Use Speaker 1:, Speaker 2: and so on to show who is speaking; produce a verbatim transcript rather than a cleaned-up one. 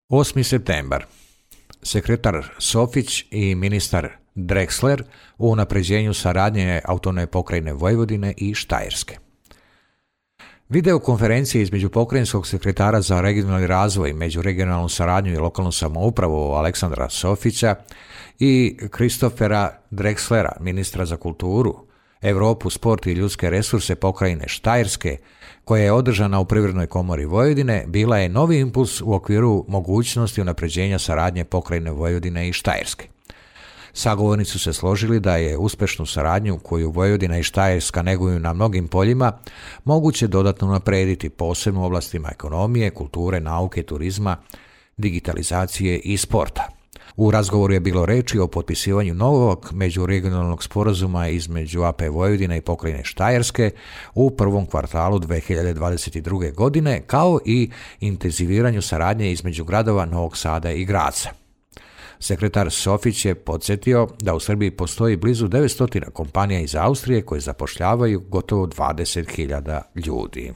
Speaker 1: osmi septembar. Sekretar Sofić i ministar Drexler u unapređenju saradnje autonomne pokrajine Vojvodine i Štajerske. Videokonferencije između pokrajinskog sekretara za regionalni razvoj, međuregionalnu saradnju i lokalnu samoupravu Aleksandra Sofića i Kristofera Drexlera, ministra za kulturu, Europu, sport i ljudske resurse pokrajine Štajerske, koja je održana u Privrednoj komori Vojvodine, bila je novi impuls u okviru mogućnosti unapređenja saradnje pokrajine Vojvodine i Štajerske. Sagovornici su se složili da je uspešnu saradnju koju Vojvodina i Štajerska neguju na mnogim poljima moguće dodatno unaprediti, posebno u oblastima ekonomije, kulture, nauke, turizma, digitalizacije i sporta. U razgovoru je bilo reči o potpisivanju novog međuregionalnog sporazuma između A P Vojvodine i pokrajine Štajerske u prvom kvartalu dve hiljade dvadeset druge. godine, kao i intenziviranju saradnje između gradova Novog Sada i Graca. Sekretar Sofić je podsjetio da u Srbiji postoji blizu devetsto kompanija iz Austrije koje zapošljavaju gotovo dvadeset hiljada ljudi.